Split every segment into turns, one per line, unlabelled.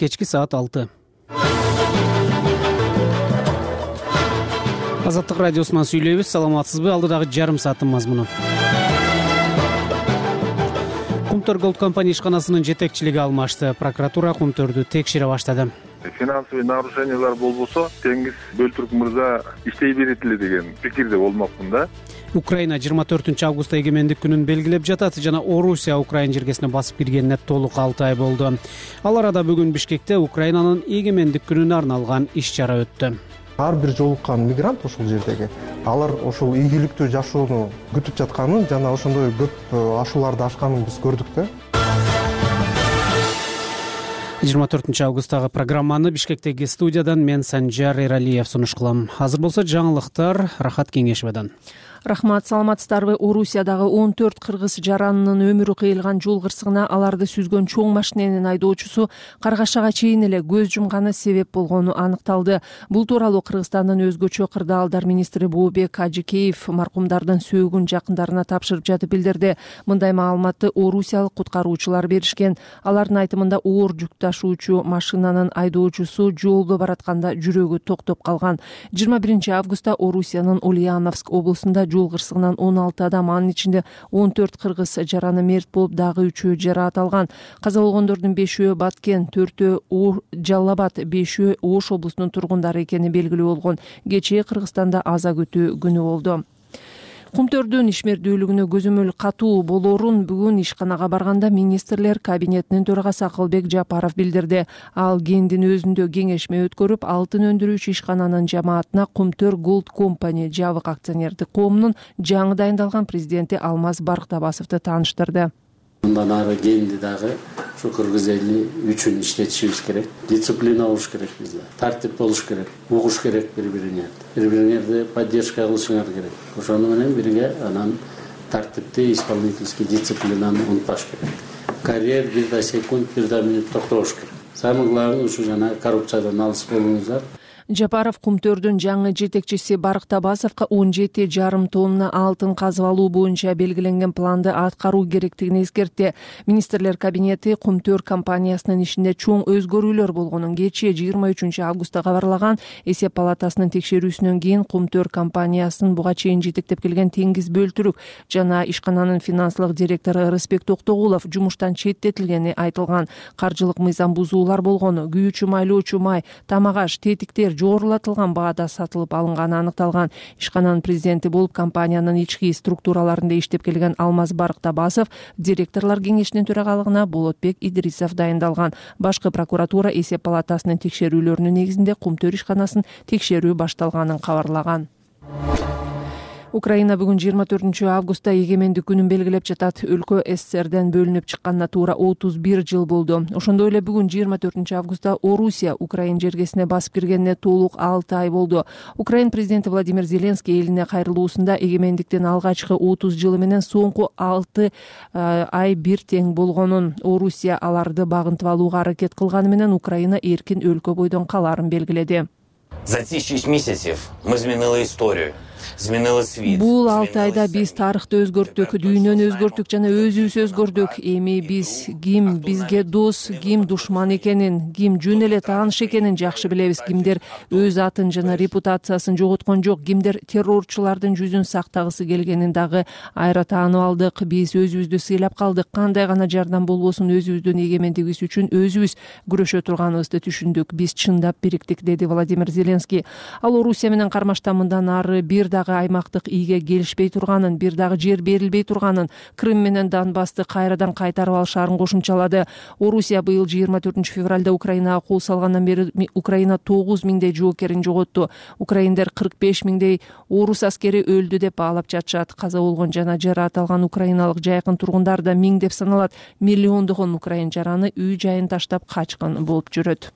кечки саат 6. Азаттык радиосунан сүйлөйбүз. Саламатсызбы? Алдыдагы жарым сааттын мазмуну. Кумтөр Голд компания ишканасынын жетекчилиги алмашты. Прокуратура Кумтөрдү текшере баштады.
Финансовый нарушениялар болбосо, Теңиз Бөлтүрк мырза иштей берет эле деген пикирде болмокмун да.
Украина 24 августта эгемендик күнүн белгилеп жатат жана Орусия Украина жергесине басып киргенине толук 6 ай болду. Ал арада бүгүн Бишкекте Украинанын эгемендик күнүнө арналган иш-чара өттү.
Ар бир жолуккан мигрант ошол жердеги алар ошол ийгиликтүү жашоону күтүп жатканын жана ошондой көп ашууларды ашканын биз көрдүк да.
24 августтагы программаны Бишкектеги студиядан мен Санжар Эралиев сунуш кылам. Азыр болсо жаңылыктар Рахат Кеңешевден.
Рахмат, саламатсыздарбы? Орусиядагы 14 кыргыз жаранынын өмүрү кыйылган жол кырсыгына аларды сүзгөн чоң машиненин айдоочусу каргашага чейин эле көз жумганы себеп болгону аныкталды. Бул тууралуу Кыргызстандын өзгөчө кырдаалдар министри Бообек Ажыкеев маркумдардын сөөгүн жакындарына тапшырып жатып билдирди. Мындай маалыматты орусиялык куткаруучулар беришкен. Алардын айтымында оор жүк ташуучу машинанын айдоочусу жолдо баратканда жүрөгү токтоп калган. 21 августта Орусиянын Ульяновск облусунда жол кырсыгынан 16 адам, анын ичинде 14 кыргыз жараны мерт болуп, дагы 3-өө жараат алган. Каза болгондордун 5-өө Баткен, 4-өө Жалал Абад, 5-өө Ош облусунун тургундары экени белгилүү болгон. Кечээ Кыргызстанда аза күтүү күнү болду. Кумтөрдүн ишмердүүлүгүнө көзөмөл катуу болорун бүгүн ишканага барганда министрлер кабинетинин төрагасы Акылбек Жапаров билдирди. Ал кендин өзүндө кеңешме өткөрүп, алтын өндүрүүчү ишкананын жамаатына Кумтөр Голд компания жабык акционердик коомунун жаңы дайындалган президенти Алмаз Барктабасовду тааныштырды.
Мындан ары кенди дагы ушу кыргыз эли үчүн иштетишибиз керек. Дисциплина болуш керек бизде. Тартип болуш керек. Угуш керек бири-бирине. Бири-бириңерди поддержка кылышыңар керек. Ошону менен бирге анан тартипти, исполнительский дисциплинаны унутпаш керек. Карьер бир да секунд, бир да минут токтош керек. Самый главный ушу жана коррупциядан алыс болуңуздар.
Жапаров Кумтөрдүн жаңы жетекчиси Барктабасовго 17,5 тонна алтын казып алуу боюнча белгиленген планды аткаруу керектигин эскертти. Министрлер кабинети Кумтөр компаниясынын ишинде чоң өзгөрүүлөр болгонун кечээ 23 августта кабарлаган. Эсеп палатасынын текшерүүсүнөн кийин Кумтөр компаниясынын буга чейин жетектеп келген Теңиз Бөлтүрк жана ишкананын финансылык директору Рысбек Токтогулов жумуштан четтетилгени айтылган. Каржылык мыйзам бузуулар болгону, күйүүчү майлоочу май, тамак аш, тетиктер жогорулатылган баада сатылып алынганы аныкталган. Ишкананын президенти болуп компаниянын ички структураларында иштеп келген Алмаз Барктабасов директорлор кеңешинин төрагалыгына Болотбек Идрисов дайындалган. Башкы прокуратура эсеп палатасынын текшерүүлөрүнүн негизинде Кумтөр ишканасын текшерүү башталганын кабарлаган. Украина бүгүн 24 августта эгемендик күнүн белгилеп жатат. Өлкө СССРден бөлүнүп чыкканына туура 31 жыл болду. Ошондой эле бүгүн 24 августта Орусия Украина жергесине басып киргенине толук 6 ай болду. Украина президенти Владимир Зеленский элине кайрылуусунда эгемендиктин алгачкы 30 жылы менен соңку 6 ай бир тең болгонун, Орусия аларды багынтып алууга аракет кылганы менен Украина эркин өлкө бойдон калаарын белгиледи.
За ці 6 місяців ми змінили історію. Змінили світ.
Бул 6 айда биз тарыхты өзгөрттүк, дүйнөнү өзгөрттүк жана өзүбүз өзгөрдүк. Эми биз ким бизге дос, ким душман экенин, ким жөн эле тааныш экенин жакшы билебиз. Кимдер өз атын жана репутациясын жоготкон жок, кимдер террорчулардын жүзүн сактагысы келгенин дагы айра таанып алдык. Биз өзүбүздү сыйлап калдык. Кандай гана жардам болбосун өзүбүздүн эгемендигибиз үчүн өзүбүз күрөшө турганыбызды түшүндүк. Биз чындап бириктик, деди Владимир Зеленский. Ал Орусия менен кармашта мындан ары бир дагы аймактык ийге келишпей турганын, бир дагы жер берилбей турганын, Крым менен Донбассты кайрадан кайтарып алышаарын кошумчалады. Орусия быйыл 24 февралда Украинага кол салгандан бери Украина 9 миңдей жоокерин жоготту. Украиндер 45 миңдей орус аскери өлдү деп баалап жатышат. Каза болгон жана жараат алган украиналык жайкын тургундар да миң деп саналат. Миллиондогон украин жараны үй жайын таштап качкан болуп жүрөт.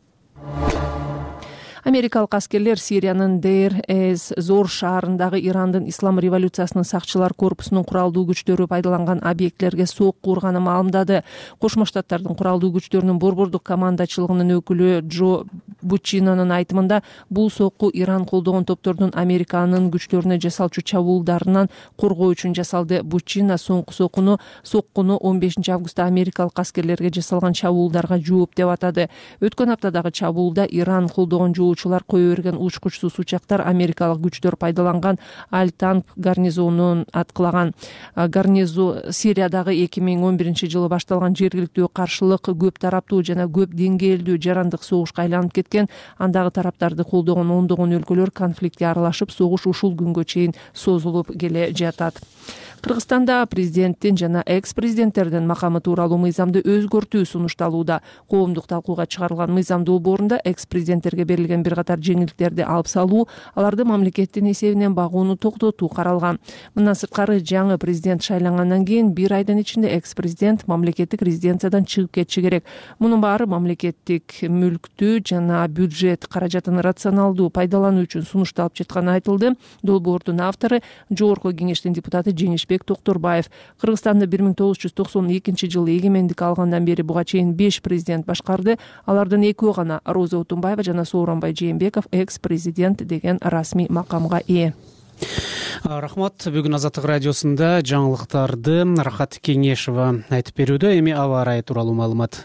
Америкалык аскерлер Сириянын Дейр-эз-Зор шаарындагы Ирандын Ислам революциясынын сакчылар корпусунун куралдуу күчтөрү пайдаланган объектилерге сокку урганын маалымдады. Кошмо Штаттардын куралдуу күчтөрүнүн борбордук командачылыгынын өкүлү Джо Буччинонун айтымында бул сокку Иран колдогон топтордун Американын күчлөрүнө жасалчу чабуулдарынан коргоо үчүн жасалды. Буччина соңку соккуну 15 августта америкалык аскерлерге жасалган чабуулдарга жооп деп атады. Өткөн аптадагы чабуулда Иран колдогон жоочулар кое берген учкучсуз учактар америкалык күчтөр пайдаланган Аль-Танк гарнизонун аткылаган. Сириядагы 2011-жылы башталган жергиликтүү каршылык көп тараптуу жана көп деңгээлдүү жарандык согушка айланып кеткен. Андагы тараптарды колдогон ондогон өлкөлөр конфликтке аралашып, согуш ушул күнгө чейин созулуп келе жатат. Кыргызстанда президенттин жана экс-президенттердин макамы тууралуу мыйзамды өзгөртүү сунушталууда. Коомдук талкууга чыгарылган мыйзам долбоорунда экс-президенттерге берилген бир катар жеңилдиктерди алып салуу, аларды мамлекеттин эсебинен багууну токтотуу каралган. Мындан сырткары жаңы президент шайлангандан кийин 1 айдын ичинде экс-президент мамлекеттик резиденциядан чыгып кетиши керек. Мунун баары мамлекеттик мүлктү жана бюджет каражатын рационалдуу пайдалануу үчүн сунушталып жатканы айтылды. Долбоордун автору Жогорку кеңештин депутаты Жеңишбек Токторбаев. Кыргызстанды 1992-жылы эгемендик алгандан бери буга чейин 5 президент башкарды. Алардын экөө гана Роза Отунбаева жана Сооронбай Жээнбеков экс-президент деген расмий макамга ээ.
Рахмат. Бүгүн Азаттык радиосунда жаңылыктарды Рахат Кеңешева айтып берүүдө. Эми аба ырайы тууралуу маалымат.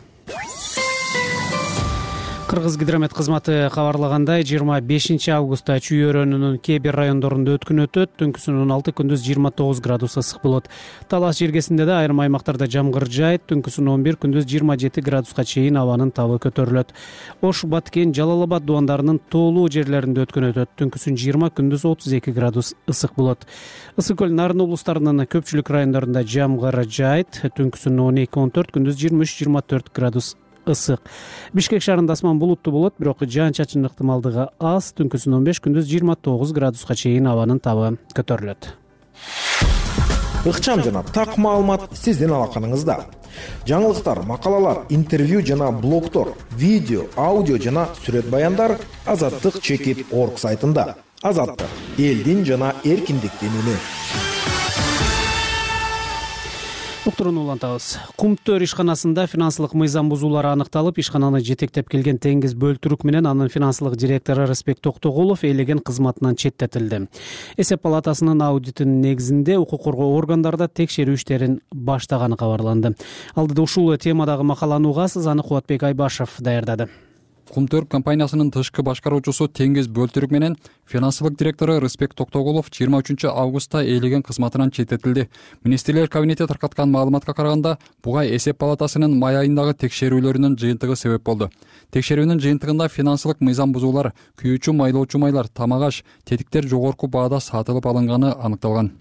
Кыргыз гидромет кызматы кабарлагандай, 25 августта Чүй өрөөнүнүн кээ бир райондорунда өткүн өтөт, түнкүсүнүн 6 күндүз 29 градус ысык болот. Талас жергесинде да айрым аймактарда жамгыр жаайт, түнкүсүн 11 күндүз 27 градуска чейин абанын табы көтөрүлөт. Ош, Баткен, Жалал Абад дубандарынын тоолуу жерлеринде өткүн өтөт, түнкүсүн 20 күндүз 32 градус ысык болот. Ысык көл, Нарын облустарынын көпчүлүк райондорунда жамгыр жаайт, түнкүсүн 12-14 күндүз 23-24 градус ысык. Бишкек шаарында асман булуттуу болот, бирок жаан-чачын ыктымалдыгы аз, түнкүсүн 15 күндүз 29 градуска чейин абанын табы көтөрүлөт.
Ыкчам жана так маалымат сиздин алаканыңызда. Жаңылыктар, макалалар, интервью жана блогтор, видео, аудио жана сүрөт баяндар azattik.org сайтында. Азаттык — элдин жана эркиндиктин үнү.
Уктурууну улантабыз. Кумтөр ишканасында финансылык мыйзам бузуулары аныкталып, ишкананы жетектеп келген Теңиз Бөлтүрүк менен анын финансылык директору Рыспек Токтогулов ээлеген кызматынан четтетилди. Эсеп палатасынын аудитинин негизинде укук коргоо органдарда текшерүү иштерин баштаганы кабарланды. Алдыда ушул темадагы макаланы угасыз, аны Кубатбек Айбашев даярдады.
Кумтөр компаниясынын тышкы башкаруучусу Теңиз Бөлтүрүк менен финансылык директору Рыспек Токтогулов 23 августта ээлеген кызматынан четтетилди. Министрлер кабинети таркаткан маалыматка караганда, буга эсеп палатасынын май айындагы текшерүүлөрүнүн жыйынтыгы себеп болду. Текшерүүнүн жыйынтыгында финансылык мыйзам бузуулар, күйүүчү майлоочу майлар, тамак-аш, тетиктер жогорку баада сатылып алынганы аныкталган.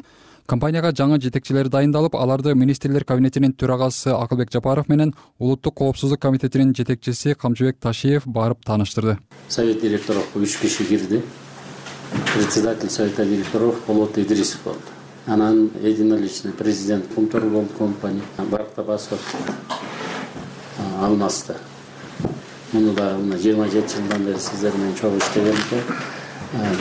Компанияга жаңы жетекчилер дайындалып, аларды Министрлер кабинетинин төрагасы Акылбек Жапаров менен Улуттук коопсуздук комитетинин жетекчиси Камчыбек Ташиев барып тааныштырды.
Совет директоров 3 киши кирди. Председатель совета директоров Болот Идрисов болду. Анан единоличный президент Кумтөр болду компания. Барак Табасов алмасты. Муну да 27 жылдан бери сиздер менен чогуу иштеген экен.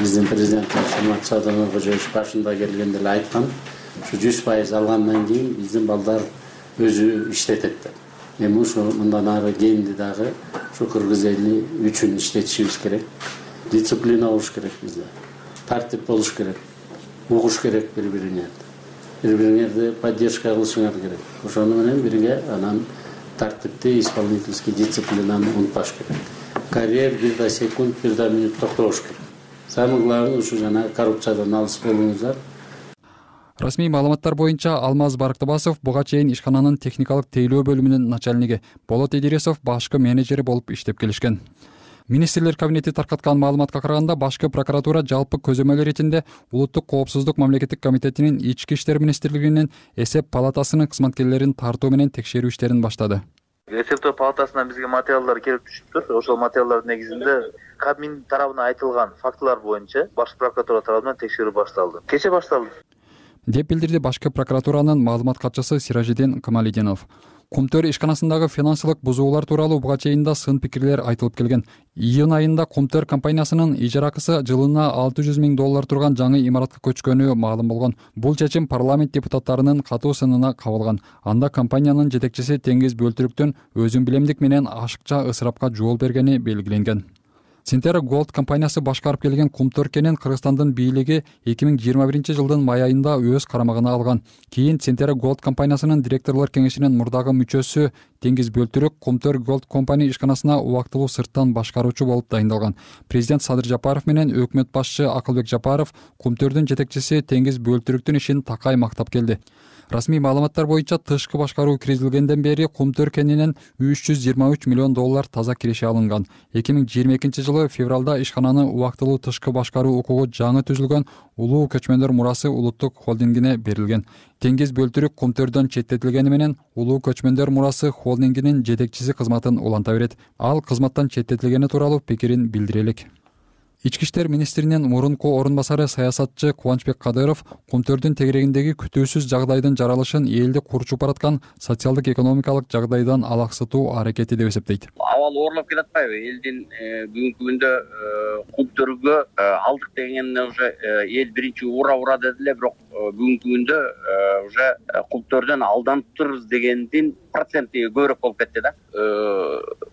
Биздин президенттер Самат Садамов Кожоевич башында келгенде эле айткан, ушу 100% алгандан кийин биздин балдар өзү иштетет деп. Эми ушу мындан ары кийинди дагы ушу кыргыз эли үчүн иштетишибиз керек. Дисциплина болуш керек бизде. Тартип болуш керек. Угуш керек бири-бирине. Бири-бириңерди поддержка кылышыңар керек. Ошону менен бирге анан тартипти, исполнительский дисциплинаны унутпаш керек. Карьер 1 секунд, 1 минут токтош керек. Самый главный ушу жана коррупциядан алыс болуңуздар.
Расмий маалыматтар боюнча Алмаз Барактабасов буга чейин ишкананын техникалык тейлөө бөлүмүнүн начальниги, Болот Идирисов башкы менеджери болуп иштеп келишкен. Министрлер кабинети таркаткан маалыматка караганда, башкы прокуратура жалпы көзөмөл иретинде Улуттук коопсуздук мамлекеттик комитетинин Ички иштер министрлигинин эсеп палатасынын кызматкерлерин тартуу менен текшерүү иштерин баштады.
Эсептөө палатасынан бизге материалдар келип түшүптүр. Ошол материалдардын негизинде Кабмин тарабынан айтылган фактылар боюнча баш прокуратура тарабынан текшерүү башталды. Кече башталды,
деп билдирди башкы прокуратуранын маалымат катчысы Сиражиден Камалидинов. Кумтөр ишканасындагы финансылык бузуулар тууралуу буга чейин да сын пикирлер айтылып келген. Июнь айында Кумтөр компаниясынын ижаракысы жылына $600 000 турган жаңы имаратка көчкөнү маалым болгон. Бул чечим парламент депутаттарынын катуу сынына кабылган. Анда компаниянын жетекчиси Теңиз Бөлтүрүктүн өзүн билемдик менен ашыкча ысырапка жол бергени белгиленген. Centera Gold компаниясы башкарып келген Кумтөркенин Кыргызстандын бийлиги 2021-жылдын май айында өз карамагына алган. Кийин Centera Gold компаниясынын директорлор кеңешинин мурдагы мүчөсү Теңиз Бөлтүрүк Кумтөр Gold компания ишканасына убактылуу сырттан башкаруучу болуп дайындалган. Президент Садыр Жапаров менен өкмөт башчы Акылбек Жапаров Кумтөрдүн жетекчиси Теңиз Бөлтүрүктүн ишин такай мактап келди. Расмий маалыматтар боюнча тышкы башкаруу киргизилгенден бери Кумтөр кенинен $323 миллион таза киреше алынган. 2022-жылы февралда ишкананы убактылуу тышкы башкаруу укугу жаңы түзүлгөн Улуу Көчмөндөр мурасы улуттук холдингине берилген. Теңиз Бөлтүрүк Кумтөрдөн четтетилгени менен Улуу Көчмөндөр мурасы холдингинин жетекчиси кызматын уланта берет. Ал кызматтан четтетилгени тууралуу пикирин билдире элек. Ички иштер министринин мурунку орун басары саясатчы Кубанычбек Кадыров Кумтөрдүн тегерегиндеги күтүүсүз жагдайдын жаралышын элди курчуп бараткан социалдык экономикалык жагдайдан алаксытуу аракети деп эсептейт.
Абал оорлоп келатпайбы? Элдин бүгүнкү күндө Кумтөргө алдык дегенде уже эл биринчи ура деди эле, бирок бүгүнкү күндө уже Кумтөрдөн алданып турбуз дегендин проценти көбүрөөк болуп кетти да.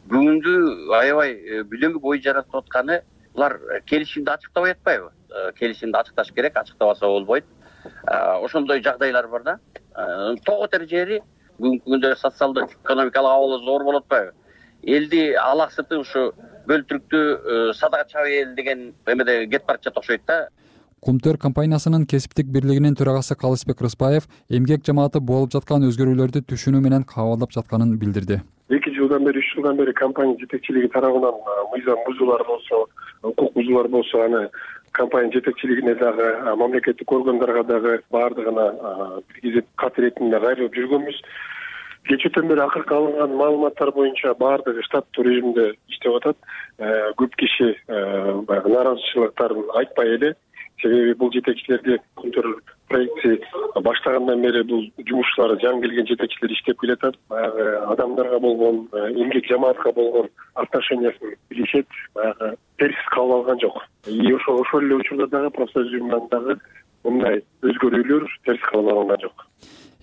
Бүгүндү аябай бүлөмүк ой жаратып атканы булар келишимди ачыктабай атпайбы? Келишимди ачыкташ керек, ачыктабаса болбойт. Ошондой жагдайлар бар да. Тогот жери бүгүнкү күндө социалдык экономикалык абалы зор болуп атпайбы? Элди алаксытып ушу Бөлтүрүктү садага чабайын деген эмеде кетип баратат окшойт да.
Кумтөр компаниясынын кесиптик бирлигинин төрагасы Калысбек Рыспаев эмгек жамааты болуп жаткан өзгөрүүлөрдү түшүнүү менен кабылдап жатканын билдирди.
2 жылдан бери, 3 жылдан бери компания жетекчилиги тарабынан мыйзам бузуулар болсо, укук бузуулар болсо, аны компания жетекчилигине дагы, мамлекеттик органдарга дагы баардыгына киргизип кат иретинде кайрылып жүргөнбүз. Кечээден бери акыркы алынган маалыматтар боюнча баардыгы штаттуу режимде иштеп атат. Көп киши нааразычылыктарын айтпай эле. Себеби бул жетекчилерге Кумтөр проекти баштагандан бери бул жумушчулары жаңы келген жетекчилер иштеп келатат. Адамдарга болгон, эмгек жамаатка болгон отношениясын билишет, терс кабыл алган жок. Ошол эле учурда дагы профсоюзунан дагы мындай өзгөрүүлөр терс кабыл алынган жок.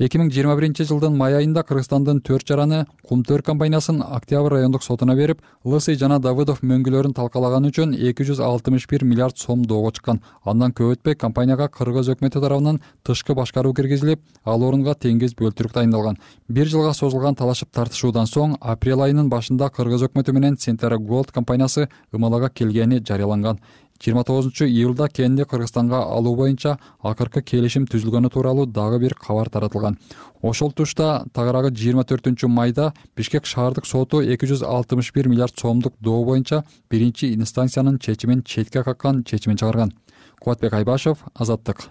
2021-жылдын май айында Кыргызстандын 4 жараны Кумтөр компаниясын Октябрь райондук сотуна берип, Лысый жана Давыдов мөңгүлөрүн талкалаган үчүн 261 миллиард сом доого чыккан. Андан көп өтпөй компанияга Кыргыз өкмөтү тарабынан тышкы башкаруу киргизилип, ал орунга Теңиз Бөлтүрүк дайындалган. 1 жылга созулган талашып тартышуудан соң апрель айынын башында Кыргыз өкмөтү менен Centera Gold компаниясы ымалага келгени жарыяланган. 29-июлда кенди Кыргызстанга алуу боюнча акыркы келишим түзүлгөнү тууралуу дагы бир кабар таратылган. Ошол тушта тагыраагы 24-майда Бишкек шаардык соту 261 миллиард сомдук доо боюнча биринчи инстанциянын чечимин четке каккан чечимин чыгарган. Кубатбек Айбашев, Азаттык.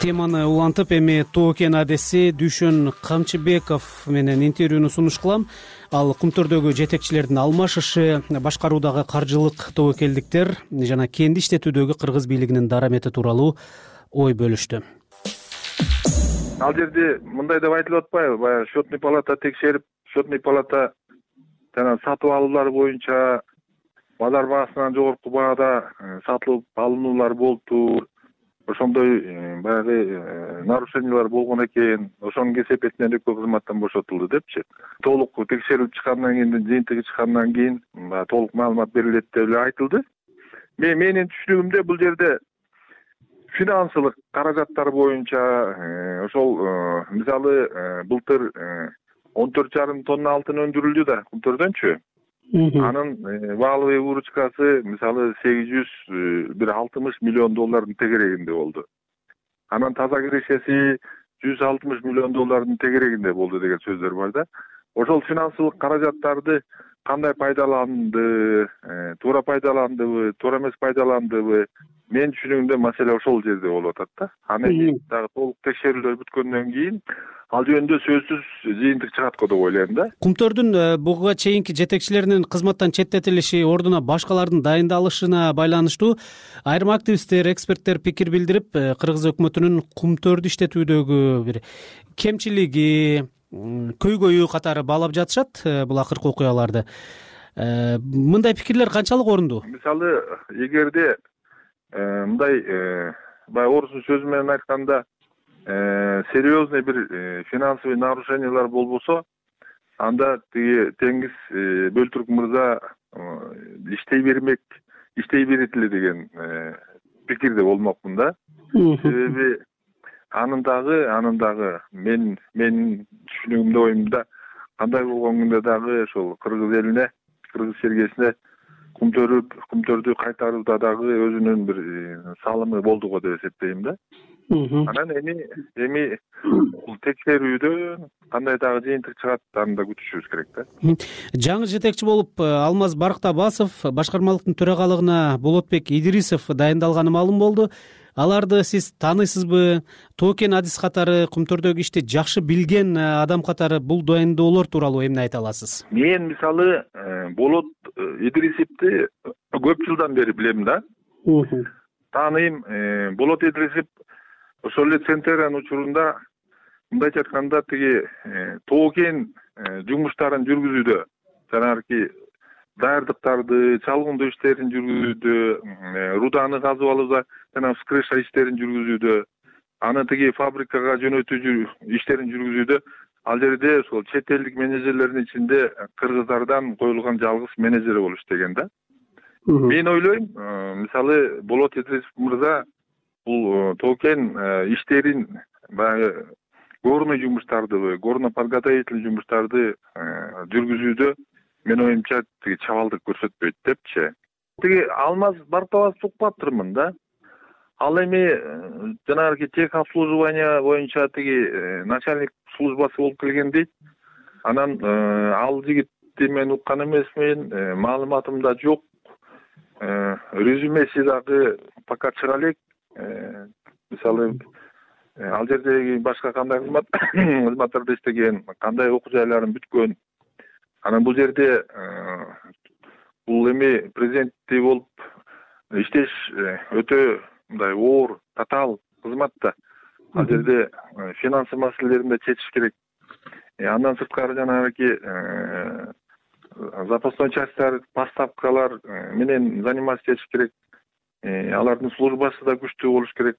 Теманы улантып, эми Тоо Кен адеси Дүйшөн Камчыбеков менен интервьюну сунуш кылам. Ал Кумтөрдөгү жетекчилердин алмашышы, башкаруудагы каржылык тобокелдиктер жана кенди иштетүүдөгү кыргыз бийлигинин дарамети тууралуу ой бөлүштү.
Ал жерде мындай деп айтылып атпайбы? Баягы счетный палата текшерип, счетный палата жана сатып алуулар боюнча базар баасынан жогорку баада сатылып алынуулар болуптур. Ошондой баягы нарушениялар болгон экен. Ошонун кесепетинен экөө кызматтан бошотулду депчи. Толук текшерип чыккандан кийин, жыйынтыгы чыккандан кийин толук маалымат берилет деп эле айтылды. Менин түшүнүгүмдө бул жерде финансылык каражаттар боюнча ошол мисалы былтыр 14,5 тонна алтын өндүрүлдү да Кумтөрдөнчү. Анын валовый выручкасы мисалы $860 миллион тегерегинде болду. Анан таза кирешеси $160 миллион тегерегинде болду деген сөздөр бар да. Ошол финансылык каражаттарды кандай пайдаланды, туура пайдаландыбы, туура эмес пайдаландыбы, мен түшүнүгүмдө маселе ошол жерде болуп атат да. Анан дагы толук текшерүүлөр бүткөндөн кийин ал жөнүндө сөзсүз жыйынтык чыгат го деп ойлойм да.
Кумтөрдүн буга чейинки жетекчилеринин кызматтан четтетилиши, ордуна башкалардын дайындалышына байланыштуу айрым активисттер, эксперттер пикир билдирип, кыргыз өкмөтүнүн Кумтөрдү иштетүүдөгү бир кемчилиги, көйгөйү катары баалап жатышат бул акыркы окуяларды. Мындай пикирлер канчалык орундуу?
Мисалы, эгерде мындай баягы орустун сөзү менен айтканда серьезный бир финансовый нарушениялар болбосо, анда тиги Теңиз Бөлтүрк мырза иштей берет эле деген пикирде болмокмун да. Себеби анын дагы менин түшүнүгүмдө, оюмда кандай болгон күндө дагы ошол кыргыз элине, кыргыз чергесине кумтөрдү кайтарууда дагы өзүнүн бир салымы болду го деп эсептейм да. Анан эми бул текшерүүдөн кандай дагы жыйынтык чыгат, аны да күтүшүбүз керек да.
Жаңы жетекчи болуп Алмаз Барктабасов башкармалыктын төрагалыгына Болотбек Идрисов дайындалганы маалым болду. Аларды сиз тааныйсызбы? Токен адис катары кумтөрдөгү ишти жакшы билген адам катары бул дайындоолор тууралуу эмне айта аласыз? Мен
мисалы Болот Идрисовду көп жылдан бери билем да. Тааныйм. Болот Идрисов ошол эле Центериан учурунда мындайча айтканда тиги токен жумуштарын жүргүзүүдө, жанагы даярдыктарды, чалгындоо иштерин жүргүзүүдө, руданы казып алууда жана вскрыша иштерин жүргүзүүдө, аны тиги фабрикага жөнөтүү иштерин жүргүзүүдө ал жерде ошол чет элдик менеджерлердин ичинде кыргыздардан коюлган жалгыз менеджер болуп иштеген да. Мен ойлойм, мисалы Болот Идрисов мырза бул токен иштерин баягы горный жумуштарды, горно-подготовительный жумуштарды жүргүзүүдө мен оюмча тиги чабалдык көрсөтпөйт депчи. Тиги Алмаз Барктабасов укпаптырмын да. Ал эми жанагы техобслуживание боюнча тиги начальник службасы болуп келген дейт. Анан ал жигитти мен уккан эмесмин, маалыматымда жок. Резюмеси дагы пока чыга элек. Мисалы ал жердеги башка кандай кызматтарда иштеген, кандай окуу жайларын бүткөн. Анан бул жерде бул эми президенттей болуп иштеш өтө мындай оор, татаал кызмат да. Ал жерде финансы маселелерин да чечиш керек. Андан сырткары жанагы запасной частьтар, поставкалар менен заниматься этиш керек. Алардын службасы да күчтүү болуш керек.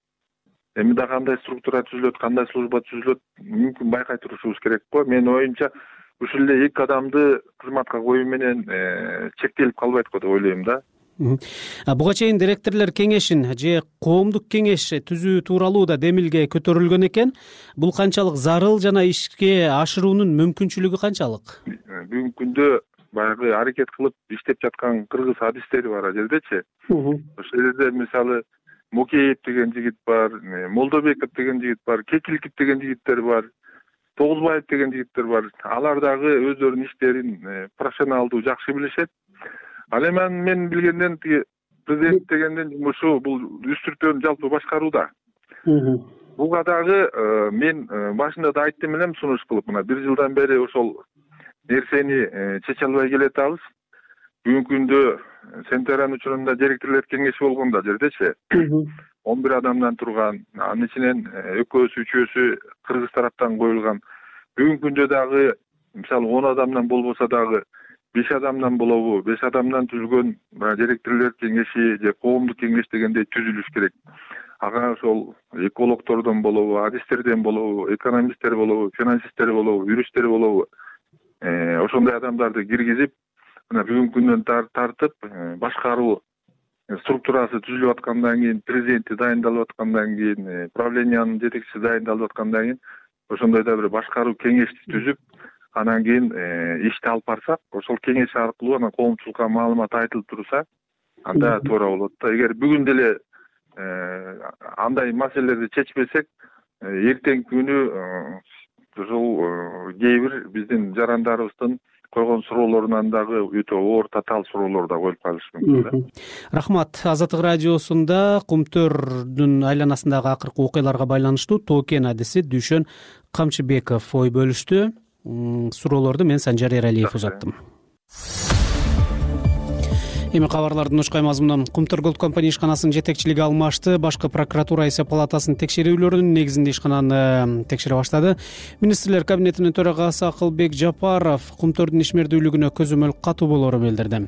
Эми да кандай структура түзүлөт, кандай служба түзүлөт, мүмкүн байкай турушубуз керек го. Менин оюмча ушул эле эки адамды кызматка коюу менен чектелип калбайт го деп ойлойм да.
Буга чейин директорлор кеңешин же коомдук кеңеш түзүү тууралуу да демилге көтөрүлгөн экен. Бул канчалык зарыл жана ишке ашыруунун мүмкүнчүлүгү канчалык?
Бүгүнкү күндө баягы аракет кылып иштеп жаткан кыргыз адистери бар ал жердечи. Ошол жерде мисалы Мукеев деген жигит бар, Молдобеков деген жигит бар, Кекилков деген жигиттер бар, Тогузбаев деген жигиттер бар. Алар дагы өздөрүнүн иштерин профессионалдуу жакшы билишет. Ал эми мен билгенден тиги президент дегендин жумушу бул үстүртөн жалпы башкарууда. Буга дагы мен башында да айттым элем сунуш кылып, мына 1 жылдан бери ошол нерсени чече албай келатабыз. Бүгүнкү күндө Центериан учурунда директорлор кеңеши болгондо жердечи 11 адамдан турган, анын ичинен экөөсү, үчөөсү кыргыз тараптан коюлган. Бүгүнкү күндө дагы мисалы 10 адамдан болбосо дагы 5 адамдан болобу, 5 адамдан түзүлгөн директорлор кеңеши же коомдук кеңеш дегендей түзүлүш керек. Ага ошол экологдордон болобу, адистерден болобу, экономисттер болобу, финансисттер болобу, юристтер болобу, ошондой адамдарды киргизип, мына бүгүнкү күндөн тартып башкаруу структурасы түзүлүп аткандан кийин, президенти дайындалып аткандан кийин, правлениянын жетекчиси дайындалып аткандан кийин ошондой да бир башкаруу кеңешти түзүп, анан кийин ишти алып барсак, ошол кеңеш аркылуу анан коомчулукка маалымат айтылып турса, анда туура болот да. Эгер бүгүн деле андай маселелерди чечпесек, эртеңки күнү ушул кээ бир биздин жарандарыбыздын койгон суроолорунан дагы өтө оор, татаал суроолор да коюлуп калышы мүмкүн.
Рахмат. Азаттык радиосунда Кумтөрдүн айланасындагы акыркы окуяларга байланыштуу токен адиси Дүйшөн Камчыбеков ой бөлүштү. Суроолорду мен Санжар Эралиев узаттым. Эми кабарлардын учкай мазмуну. Кумтөр Голд компания ишканасынын жетекчилиги алмашты. Башкы прокуратура эсеп палатасынын текшерүүлөрүнүн негизинде ишкананы текшере баштады. Министрлер кабинетинин төрагасы Акылбек Жапаров Кумтөрдүн ишмердүүлүгүнө көзөмөл катуу болоорун билдирди.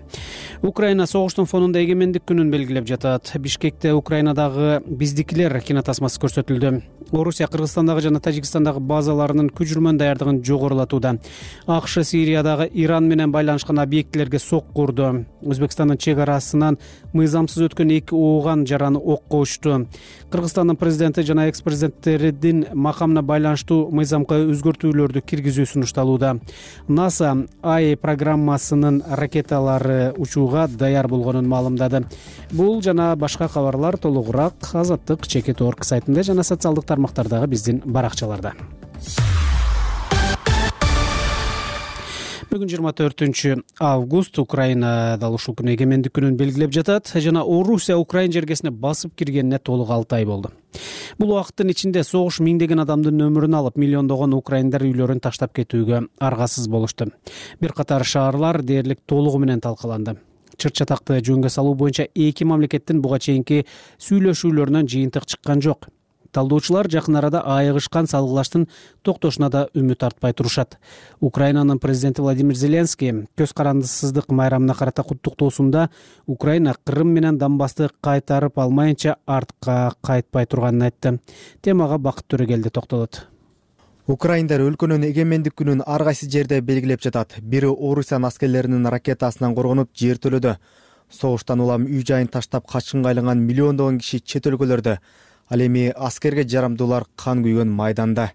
Украина согуштун фонунда эгемендик күнүн белгилеп жатат. Бишкекте Украинадагы биздикилер кинотасмасы көрсөтүлдү. Орусия Кыргызстандагы жана Тажикстандагы базаларынын күчүрмөн даярдыгын жогорулатууда. АКШ Сириядагы Иран менен байланышкан объектилерге сокку урду. Өзбекстандын чек арасынан мыйзамсыз өткөн 2 ооган жараны окко учту. Кыргызстандын президенти жана экс-президенттердин макамына байланыштуу мыйзамга өзгөртүүлөрдү киргизүү сунушталууда. НАСА АИ программасынын ракеталары учууга даяр болгонун маалымдады. Бул жана башка кабарлар толугураак Азаттык Чекит.орг сайтында жана социалдык тармактардагы биздин баракчаларда. Бүгүн 24 август Украинада ушул күнү эгемендик күнүн белгилеп жатат жана Орусия Украин жергесине басып киргенине толук 6 ай болду. Бул убакыттын ичинде согуш миңдеген адамдын өмүрүн алып, миллиондогон украиндар үйлөрүн таштап кетүүгө аргасыз болушту. Бир катар шаарлар дээрлик толугу менен талкаланды. Чыр-чатакты жөнгө салуу боюнча эки мамлекеттин буга чейинки сүйлөшүүлөрүнөн жыйынтык чыккан жок. Талдоочулар жакын арада айыгышкан салгылаштын токтошуна да үмүт артпай турушат. Украинанын президенти Владимир Зеленский көз карандысыздык майрамына карата куттуктоосунда Украина Крым менен Донбассты кайтарып алмайынча артка кайтпай турганын айтты. Темага Бакыт Төрөгелди токтолот.
Украиндар өлкөнүн эгемендик күнүн ар кайсы жерде белгилеп жатат. Бири Орусиянын аскерлеринин ракетасынан коргонуп жертөлөдү. Согуштан улам үй жайын таштап качкынга айланган миллиондогон киши чет өлкөлөрдө. Ал эми аскерге жарамдуулар кан күйгөн майданда.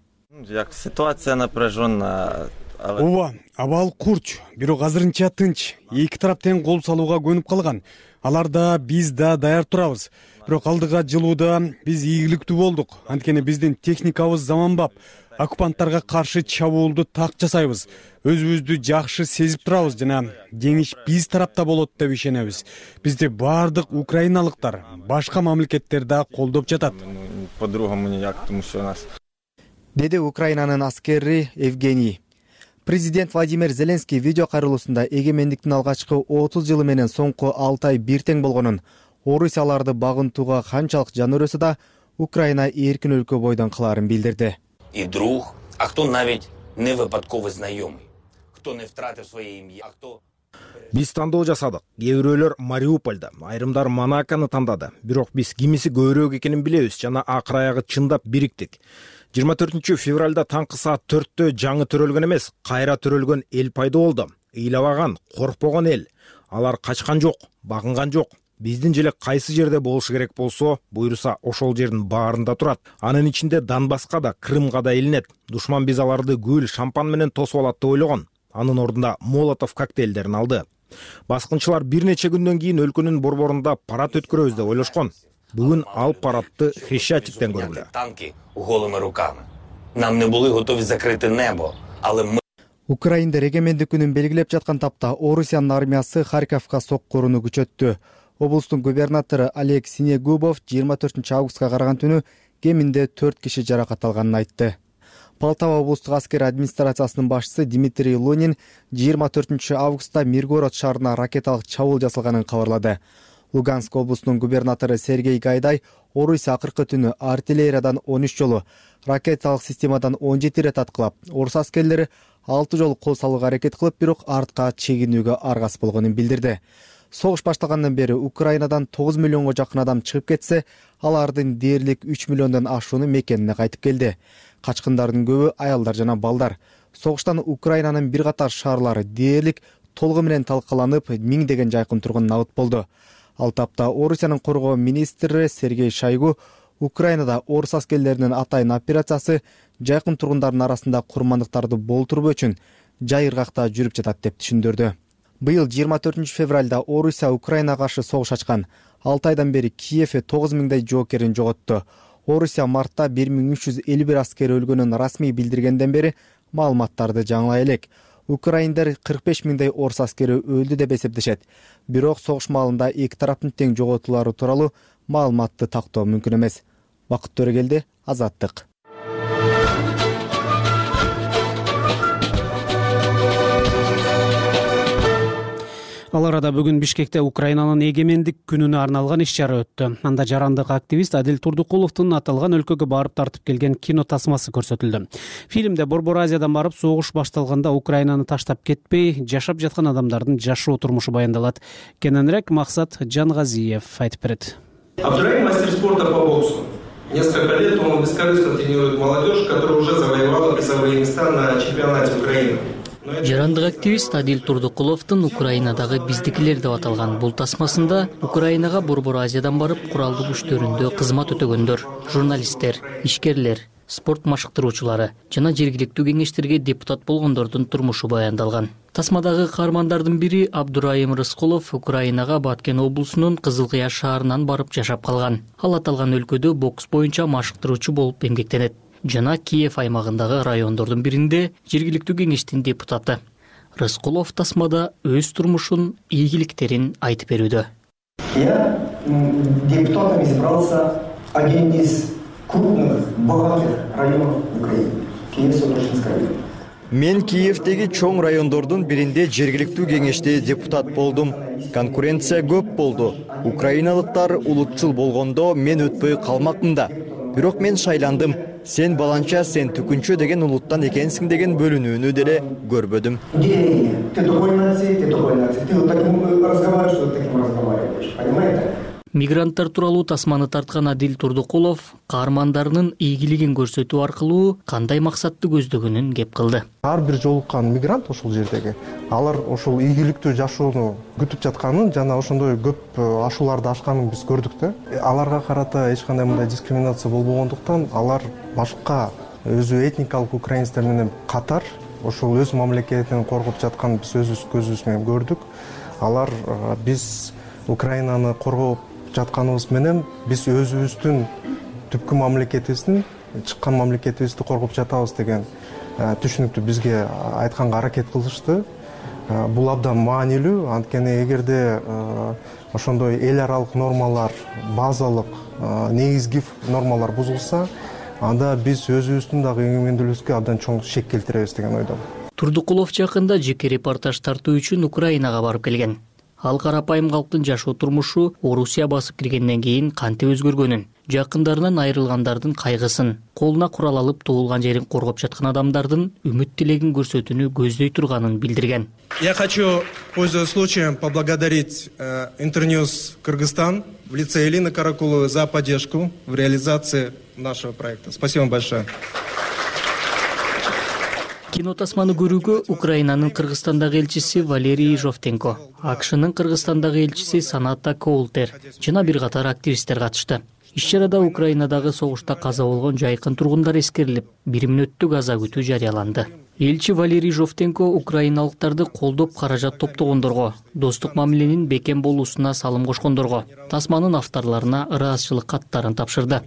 Ситуация напряженная.
Ооба, абал курч, бирок азырынча тынч. Эки тарап тең кол салууга көнүп калган. Алар да биз да даяр турабыз. Бирок алдыга жылууда биз ийгиликтүү болдук. Анткени биздин техникабыз заманбап. Оккупанттарга каршы чабуулду так жасайбыз. Өзүбүздү жакшы сезип турабыз жана жеңиш биз тарапта болот деп ишенебиз. Бизди баардык украиналыктар, башка мамлекеттер да колдоп жатат.
По-другому никак, потому что у нас.
Деди Украинанын аскери Евгений. Президент Владимир Зеленский видео кайрылуусунда эгемендиктин алгачкы 30 жылы менен соңку 6 ай бир тең болгонун, орусияларды багынтууга канчалык жан өрөсө да Украина эркин өлкө бойдон кылаарын билдирди.
И друг, а хто навіть не випадковий знайомий, хто не втратив своє ім'я, а хто...
Биз тандоо жасадык. Кээ бирөөлөр Мариупольда, айрымдар Монакону тандады. Бирок биз кимиси көбүрөөк экенин билебиз жана акыр аягы чындап бириктик. 24 февралда таңкы саат 4-тө жаңы төрөлгөн эмес, кайра төрөлгөн эл пайда болду. Ыйлабаган, коркпогон эл. Алар качкан жок, багынган жок. Биздин желе кайсы жерде болушу керек болсо, буйруса ошол жердин баарында турат. Анын ичинде Донбасска да, Крымга да илинет. Душман биз аларды гүл, шампан менен тосуп алат деп ойлогон. Анын ордунда Молотов коктейлдерин алды. Баскынчылар бир нече күндөн кийин өлкөнүн борборунда парад өткөрөбүз деп ойлошкон. Бүгүн ал парадты Хрещатиктен көргүлө.
Танки голими руками. Нам не були готові закрити небо, але ми...
Украиндар эгемендик күнүн белгилеп жаткан тапта Орусиянын армиясы Харьковка соккуруну күчөттү. Облустун губернатору Олег Синегубов 24 августка караган түнү кеминде 4 киши жаракат алганын айтты. Полтава облустук аскер администрациясынын башчысы Дмитрий Лунин 24 августта Миргород шаарына ракеталык чабуул жасалганын кабарлады. Луганск облусунун губернатору Сергей Гайдай Орусия акыркы түнү артиллериядан 13 жолу, ракеталык системадан 17 ирет аткылап, орус аскерлери 6 жолу кол салууга аракет кылып, бирок артка чегинүүгө аргасыз болгонун билдирди. Согуш башталгандан бери Украинадан 9 миллионго жакын адам чыгып кетсе, алардын дээрлик 3 миллиондон ашууну мекенине кайтып келди. Качкындардын көбү аялдар жана балдар. Согуштан Украинанын бир катар шаарлары дээрлик толугу менен талкаланып, миңдеген жайкын тургун набыт болду. Ал тапта Орусиянын коргоо министри Сергей Шойгу Украинада орус аскерлеринин атайын операциясы жайкын тургундардын арасында курмандыктарды болтуруу үчүн жайыргакта жүрүп жатат деп түшүндүрдү. Быйыл 24 февралда Орусия Украинага каршы согуш ачкан. 6 айдан бери Киев 9 миңдей жоокерин жоготту. Орусия мартта 1351 аскер өлгөнүн расмий билдиргенден бери маалыматтарды жаңылай элек. Украиндар 45 миңдей орус аскери өлдү деп эсептешет. Бирок согуш маалында эки тараптын тең жоготуулары тууралуу маалыматты тактоо мүмкүн эмес. Бакыт Төрөгелди, Азаттык.
Ал арада бүгүн Бишкекте Украинанын эгемендик күнүнө арналган иш-чара өттү. Анда жарандык активист Адил Турдукуловдун аталган өлкөгө барып тартып келген кино тасмасы көрсөтүлдү. Фильмде Борбор Азиядан барып согуш башталганда Украинаны таштап кетпей, жашап жаткан адамдардын жашоо турмушу баяндалат. Кененирээк Максат Жангазиев айтып берет.
Абдурайым мастер спорта по боксу. Несколько лет он бескорыстно тренирует молодежь, которая уже завоевала призовые места на чемпионате Украины.
Жарандык активист Адил Турдукуловдун Украинадагы биздикилер деп аталган бул тасмасында Украинага Борбор Азиядан барып куралдуу күчтөрүндө кызмат өтөгөндөр, журналисттер, ишкерлер, спорт машыктыруучулары жана жергиликтүү кеңештерге депутат болгондордун турмушу баяндалган. Тасмадагы каармандардын бири Абдурайым Рыскулов Украинага Баткен облусунун Кызыл Кыя шаарынан барып жашап калган. Ал аталган өлкөдө бокс боюнча машыктыруучу болуп эмгектенет жана Киев аймагындагы райондордун биринде жергиликтүү кеңештин депутаты. Рыскулов тасмада өз турмушун, ийгиликтерин айтып берүүдө.
Я депутатом избрался один из крупных, богатых районов Украины. Киев-Содоржинский район.
Мен Киевдеги чоң райондордун биринде жергиликтүү кеңеште депутат болдум. Конкуренция көп болду. Украиналыктар улутчул болгондо мен өтпөй калмакмын да. Бирок мен шайландым. Сен баланча, сен түкүнчө деген улуттан экенсиң деген бөлүнүүнү деле көрбөдүм.
Ты такой нации, ты такой нации. Ты вот таким разговариваешь, вот таким разговариваешь. Понимаете?
Мигранттар тууралуу тасманы тарткан Адил Турдукулов каармандарынын ийгилигин көрсөтүү аркылуу кандай максатты көздөгөнүн кеп кылды.
Ар бир жолуккан мигрант ошол жердеги алар ошол ийгиликтүү жашоону күтүп жатканын жана ошондой көп ашууларды ашканын биз көрдүк да. Аларга карата эч кандай мындай дискриминация болбогондуктан алар башка өзү этникалык украинецтер менен катар ошол өз мамлекетин коргоп жатканын биз өзүбүз көзүбүз менен көрдүк. Алар биз Украинаны коргоп жатканыбыз менен биз өзүбүздүн түпкү мамлекетибиздин, чыккан мамлекетибизди коргоп жатабыз деген түшүнүктү бизге айтканга аракет кылышты. Бул абдан маанилүү, анткени эгерде ошондой эл аралык нормалар, базалык, негизги нормалар бузулса, анда биз өзүбүздүн дагы эгемендүүлүгүбүзгө абдан чоң шек келтиребиз деген ойдомун.
Турдукулов жакында жеке репортаж тартуу үчүн Украинага барып келген. Ал карапайым калктын жашоо турмушу Орусия басып киргенден кийин кантип өзгөргөнүн, жакындарынан айрылгандардын кайгысын, колуна курал алып туулган жерин коргоп жаткан адамдардын үмүт тилегин көрсөтүүнү көздөй турганын билдирген.
Я хочу, пользуясь случаем, поблагодарить Интерньюз Кыргызстан в лице Элины Каракуловой за поддержку в реализации нашего проекта. Спасибо большое.
Кино тасманы көрүүгө Украинанын Кыргызстандагы элчиси Валерий Жовтенко, АКШнын Кыргызстандагы элчиси Саната Коултер жана бир катар активисттер катышты. Иш-чарада Украинадагы согушта каза болгон жайкын тургундар эскерилип, 1 мүнөттүк аза күтүү жарыяланды. Элчи Валерий Жовтенко украиналыктарды колдоп каражат топтогондорго, достук мамиленин бекем болуусуна салым кошкондорго, тасманын авторлоруна ыраазычылык каттарын тапшырды.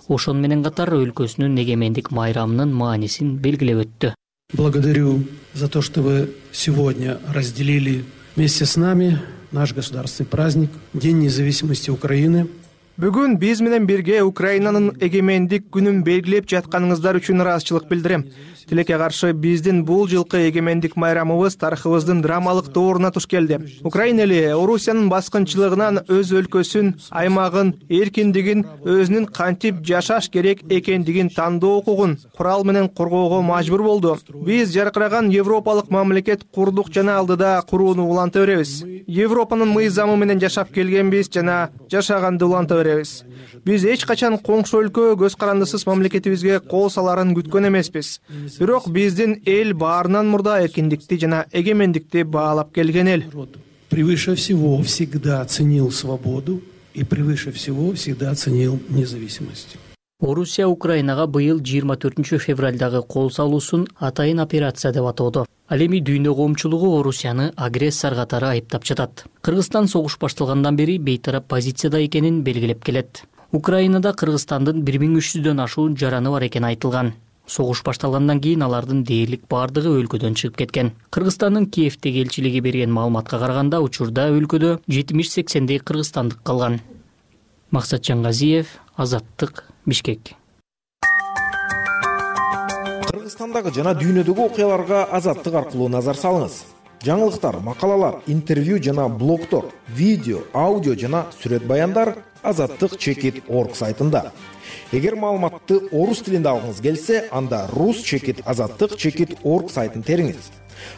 Ошон менен катар өлкөсүнүн эгемендик майрамынын маанисин белгилеп өттү.
Благодарю за то, что вы сегодня разделили вместе с нами наш государственный праздник, День независимости Украины.
Бүгүн биз менен бирге Украинанын эгемендик күнүн белгилеп жатканыңыздар үчүн ыраазычылык билдирем. Тилекке каршы биздин бул жылкы эгемендик майрамыбыз тарыхыбыздын драмалык дооруна туш келди. Украина эли Орусиянын баскынчылыгынан өз өлкөсүн, аймагын, эркиндигин, өзүнүн кантип жашаш керек экендигин тандоо укугун курал менен коргоого мажбур болду. Биз жаркыраган европалык мамлекет курдук жана алдыда курууну уланта беребиз. Европанын мыйзамы менен жашап келгенбиз жана жашаганды уланта беребиз. Биз эч качан коңшу өлкө көз карандысыз мамлекетибизге кол саларын күткөн эмеспиз. Бирок биздин эл баарынан мурда эркиндикти жана эгемендикти баалап келген эл.
Превыше всего всегда ценил свободу и превыше всего всегда ценил независимость.
Орусия Украинага быйыл 24 февралдагы кол салуусун атайын операция деп атоодо. Ал эми дүйнө коомчулугу Орусияны агрессор катары айыптап жатат. Кыргызстан согуш башталгандан бери бейтарап позицияда экенин белгилеп келет. Украинада Кыргызстандын 1300дөн ашуун жараны бар экени айтылган. Согуш башталгандан кийин алардын дээрлик бардыгы өлкөдөн чыгып кеткен. Кыргызстандын Киевдеги элчилиги берген маалыматка караганда учурда өлкөдө 70-80дей кыргызстандык калган. Максат Жангазиев, Азаттык, Бишкек.
Кыргызстандагы жана дүйнөдөгү окуяларга Азаттык аркылуу назар салыңыз. жаңылыктар, макалалар, интервью жана блогтор, видео, аудио жана сүрөт баяндар azattik.org сайтында. Эгер маалыматты орус тилинде алгыңыз келсе, анда rus.azattik.org сайтын териңиз.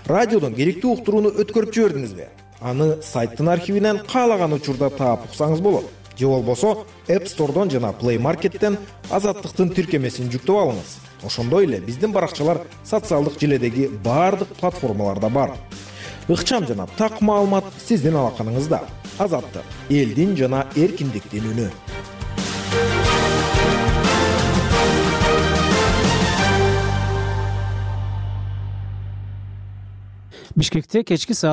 Радиодон керектүү уктурууну өткөрүп жибердиңизби? Аны сайттын архивинен каалаган учурда таап уксаңыз болот. Же болбосо App Store'дон жана Play Market'тен Азаттыктын тиркемесин жүктөп алыңыз. Ошондой эле биздин баракчалар социалдык желедеги баардык платформаларда бар. Ыкчам жана так маалымат сиздин алаканыңызда. Азаттык — элдин жана эркиндиктин үнү.
Бишкекте кечки